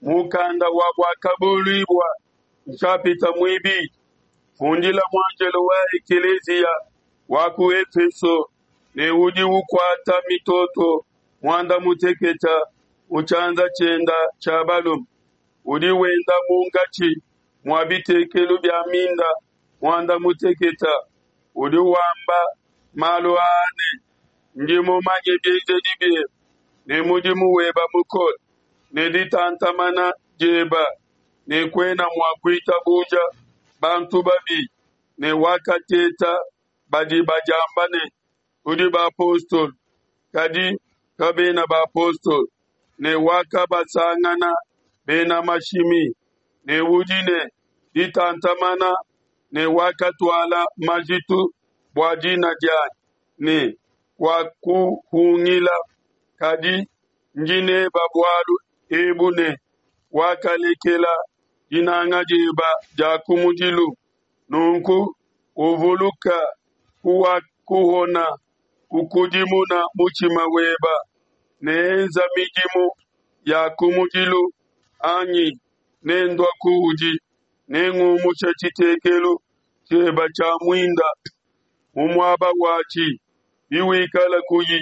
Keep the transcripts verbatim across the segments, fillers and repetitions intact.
Mukanda wa Buakabuluibua nshapita muibidi. Fundila muanjelo wa ekeleziya wa ku Efeso ne, Udi ukuata mitoto muanda mutekete mu tshianza tshiende tshia balume, udi wenda munkatshi mua bitekelu bia minda muanda mutekete, udi wamba malu aa ne: Ndi mumanye bienzedi biebe ne mudimu webe mukole ne ditantamana diebe, ne kuena mua kuitabuja bantu babi, ne wakateta badi badiamba ne, Tudi bapostolo, kadi kabena bapostolo, ne wakabasangana bena mashimi, ne udi ne ditantamana ne wakatuala majitu bua dina dianyi ne kuakuhungila. Kadi ndi nebe bualu ebu ne, wakalekela dinanga diebe dia kumudilu. Nunku uvuluke kuwakuhona, ukudimune mutshima webe ne enza midimu ya kumudilu, anyi nendue kuudi, nengumushe tshitekelu tshiebe tshia muinda mu muaba watshi, biwikala kuyi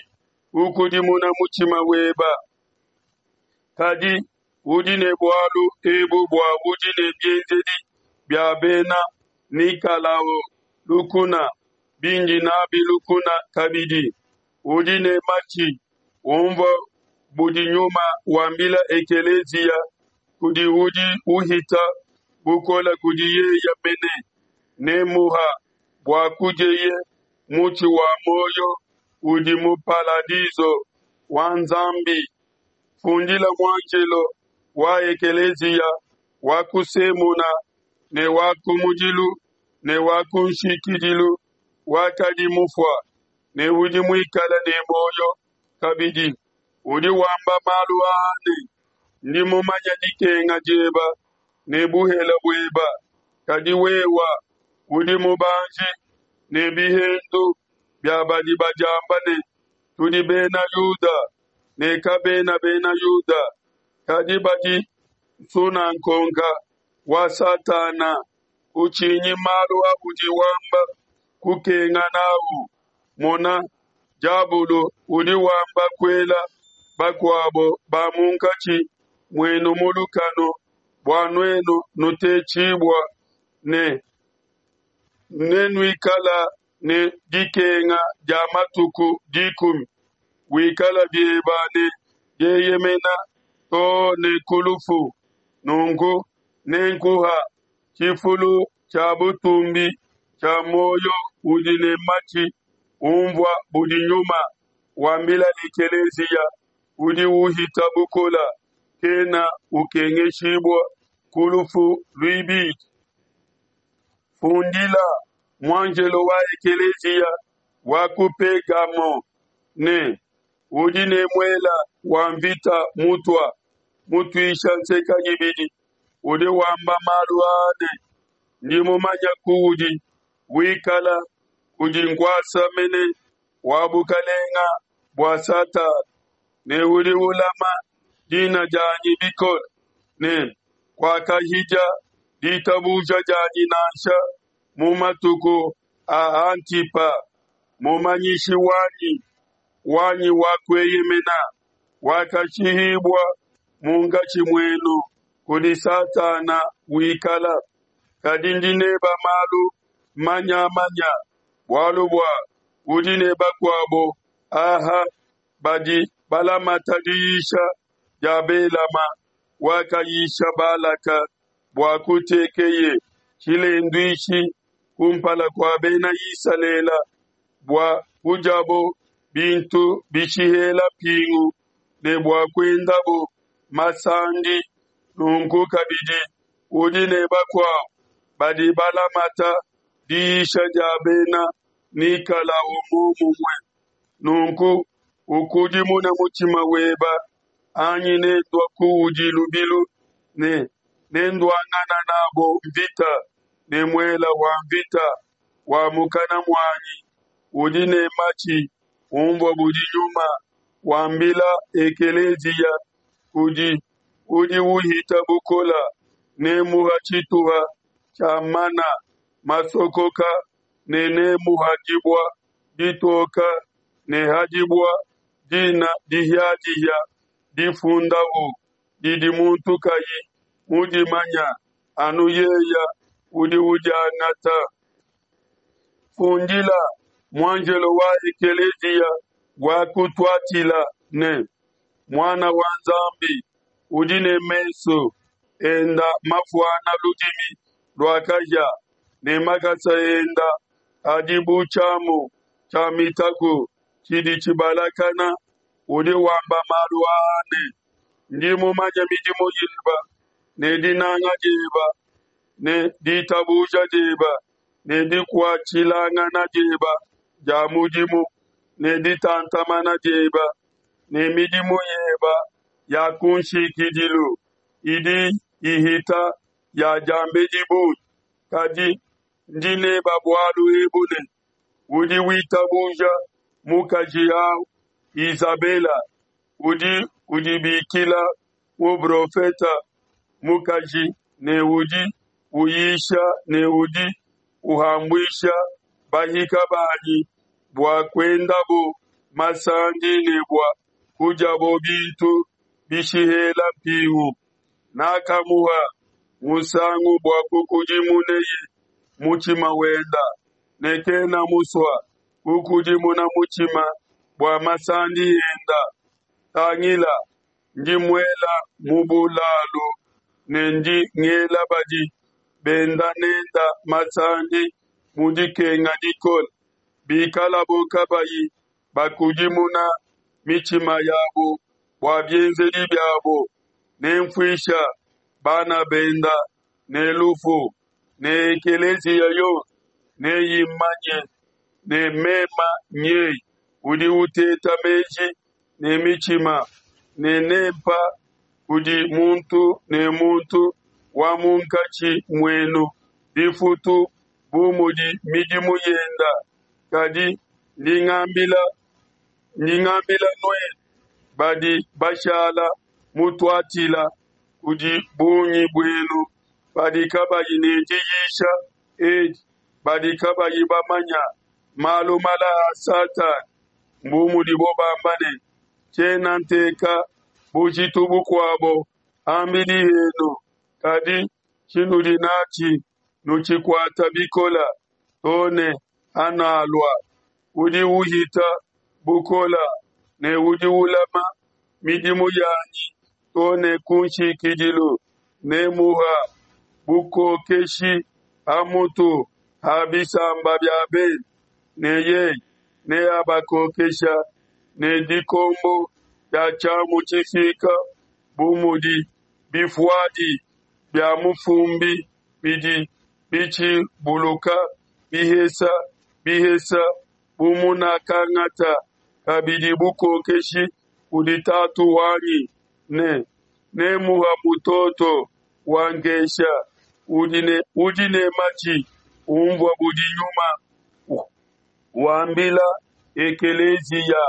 ukudimuna mutshima webe. Kadi udi ne bualu ebu bua udi ne bienzedi bia Bena Nikalao lukuna, bindi n'abi lukuna kabidi. Udi ne matshi unvue budi Nyuma wambila ekeleziya. Kudi udi uhita bukole, kudi yeye mene nemuha bua kudieye mutshi wa muoyo udi mu paladiso wa Nzambi. Fundila muanjelo wa ekeleziya wa ku Semuna ne wa kumudilu ne wa kunshikidilu, wakadi mufua ne udi muikale ne muoyo kabidi, udi wamba malu aa ne: Ndi mumanye dikenga diebe ne buhele buebe, kadi wewe udi mubanji, ne bihendu bia badi badiamba ne, Tudi Bena Yuda, ne kabena Bena Yuda, kadi badi nsunangonga wa Satana. Kutshinyi malu audi wamba kukenga n'au. Mona, diabolo udi wamba kuela bakuabo ba munkatshi muenu mu lukanu, bua nuenu nutetshibue, ne nenuikale ne dikenga dia matuku dikumi. Wikale biebe ne dieyemena to ne ku lufu, nunku nenkuha tshifulu tshia butumbi tshia muoyo. Udi ne matshi unvua budi Nyuma wambila ekeleziya. Udi uhita bukole kena ukengeshibua ku lufu luibidi. Fundila muanjelo wa ekeleziya wa ku Pegamo ne: Udi ne muele wa nvita mutua mutuisha nseke ibidi, udi wamba malu aa ne: Ndi mumanye kuudi wikala, kudi nkuasa mene wa bukelenge bua Satana, ne udi ulama dina dianyi bikole, ne kuakahidia ditabuja dianyi nansha mu matuku a Antipa, mumanyishi wanyi wanyi wa kueyemena, wakashihibua munkatshi muenu kudi Satana wikala. Kadi ndi nebe malu manya-manya, bualu bua udi ne bakuabo aha badi balamata diyisha dia Belama, wakayisha Balaka bua kutekeye tshilenduishi kumpala kua Bena Isalele, bua kudiabo bintu bishihela mpingu ne bua kuendabo masandi. Nunku kabidi udi ne bakuabo badi balamata diyisha dia Bena Nikalao muomumue. Nunku ukudimune mutshima webe, anyi nendue kuudi lubilu, ne nenduangane n'abo nvita ne muele wa nvita wa mukana muanyi. Udi ne matshi unvue budi Nyuma wambila ekeleziya. Kudi udi uhita bukola nemuha tshituha tshia mana masokoka, ne nemuha dibua ditoka, ne ha dibua dina dihia-dihia difundahu, didi muntu kai mudimanya, anu yeye udi udiangata. Fundila muanjelo wa ekeleziya wa ku Tuatila ne, Muana wa Nzambi udi ne mesu enda mafuana ludimi lua kahia ne makasa enda adi bu tshiamu tshia mitaku tshidi tshibalakana, udi wamba malu aa ne: Ndi mumanye midimu yeba ne dinanga dieba ne ditabuja dieba ne dikuatshilangana dieba dia mudimu ne ditantamana dieba ne midimu yeba ya kunshikidilu idi ihita ya diambedi bungi. Kadi ndi neba bualu ebu ne, udi witabuja mukaji au Izabela udi udibikila muprofete mukaji ne udi uyisha ne udi uhambuisha bahika banyi bua kuendabo masandi ne bua kudiabo bintu bishihela mpingu. Nakamuha musangu bua kukudimuneye mutshima wenda, ne kena musue kukudimuna mutshima bua masandi enda. Tangila, ndi muela mu bulalu ne ndi ngela badi benda nenda masandi mu dikenga dikole, bikalabo kabayi bakudimuna mitshima yabo bua bienzedi biabo. Nenfuisha bana benda ne lufu, ne ekeleziya yonso neyimanye ne mema nyeye udi uteta meji ne mitshima, ne nempa kudi muntu ne muntu wa munkatshi muenu difutu bu mudi midimu yenda. Kadi ndi ngambila ndi ngambila nuenu badi bashala mu Tuatila, kudi bungi buenu badi kabayi ne diyisha edi, badi kabayi bamanya malu mala a Satana, mbu mudibo bamba ne, tshiena nteka bujitu bukuabo ham'bidi henu, kadi tshinudi natshi nutshikuata bikola to ne hanalua. Udi uhita bukola ne udi ulama midimu yanyi to ne kunshikidilu, nemuha bukokeshi ha mutu ha bisamba bia bende, ne yeye neabakokesha ne dikombo dia tshiamu tshifike, bu mudi bivuadi bia mufumbi bidi bitshibuluka bihesa bihesa, bu munakangata kabidi bukokeshi kudi Tatu wanyi. Ne nemuha mutoto wa nkesha. Udi ne, udi ne matshi unvua budi Nyuma wambila ekeleziya.